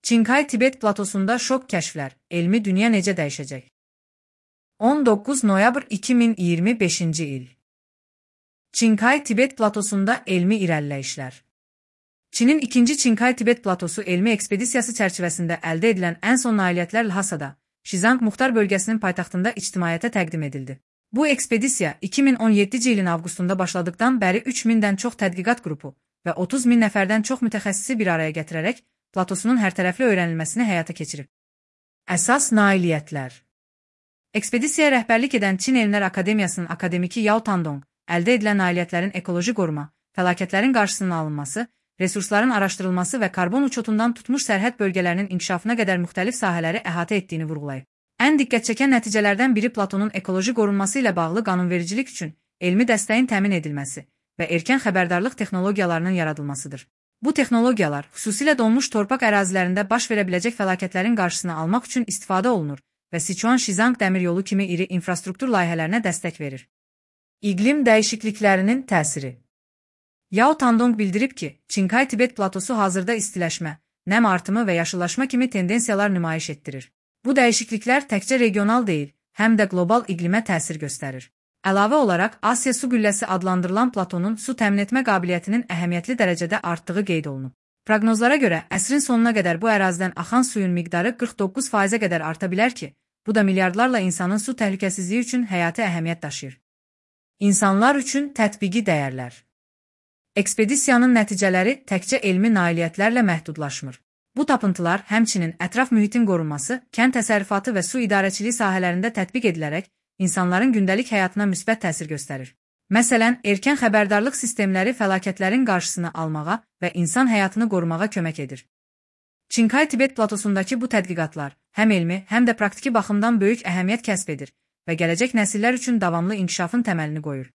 Çinkay-Tibet platosunda şok kəşflər, elmi dünya necə dəyişəcək? 19 noyabr 2025-ci il. Çinkay-Tibet platosunda elmi irəliləyişlər. Çinin ikinci Çinkay-Tibet platosu elmi ekspedisiyası çərçivəsində əldə edilən ən son nailiyyətlər Lhasada, Şizang Muxtar bölgəsinin paytaxtında ictimaiyyətə təqdim edildi. Bu ekspedisiya 2017-ci ilin avqustunda başladıqdan bəri 3000-dən çox tədqiqat qrupu və 30 min nəfərdən çox mütəxəssisi bir araya gətirərək platosunun hərtərəfli öyrənilməsini həyata keçirib. Əsas nailiyyətlər. Ekspedisiyaya rəhbərlik edən Çin Elmlər Akademiyasının akademiki Yao Tandong, əldə edilən nailiyyətlərin ekoloji qoruma, fəlakətlərin qarşısının alınması, resursların araşdırılması və karbon uçotundan tutmuş sərhəd bölgələrinin inkişafına qədər müxtəlif sahələri əhatə etdiyini vurğulayıb. Ən diqqət çəkən nəticələrdən biri Platonun ekoloji qorunması ilə bağlı qanunvericilik üçün elmi dəstəyin təmin edilməsi və erkən xəbərdarlıq texnologiyalarının yaradılmasıdır. Bu texnologiyalar xüsusilə donmuş torpaq ərazilərində baş verə biləcək fəlakətlərin qarşısını almaq üçün istifadə olunur və Sichuan-Şizang dəmir yolu kimi iri infrastruktur layihələrinə dəstək verir. İqlim dəyişikliklərinin təsiri. Yao Tandong bildirib ki, Çinkay-Tibet platosu hazırda istiləşmə, nəm artımı və yaşıllaşma kimi tendensiyalar nümayiş etdirir. Bu dəyişikliklər təkcə regional deyil, həm də qlobal iqlimə təsir göstərir. Əlavə olaraq, Asiya su gülləsi adlandırılan platonun su təmin etmə qabiliyyətinin əhəmiyyətli dərəcədə artdığı qeyd olunub. Proqnozlara görə, əsrin sonuna qədər bu ərazidən axan suyun miqdarı 49%-ə qədər arta bilər ki, bu da milyardlarla insanın su təhlükəsizliyi üçün həyati əhəmiyyət daşıyır. İnsanlar üçün tətbiqi dəyərlər. Ekspedisiyanın nəticələri təkcə elmi nailiyyətlərlə məhdudlaşmır. Bu tapıntılar həmçinin ətraf mühitin qorunması, kənd təsərrüfatı və su idarəçiliyi sahələrində tətbiq edilərək insanların gündəlik həyatına müsbət təsir göstərir. Məsələn, erkən xəbərdarlıq sistemləri fəlakətlərin qarşısını almağa və insan həyatını qorumağa kömək edir. Çinkay-Tibet platosundakı bu tədqiqatlar həm elmi, həm də praktiki baxımdan böyük əhəmiyyət kəsb edir və gələcək nəsillər üçün davamlı inkişafın təməlini qoyur.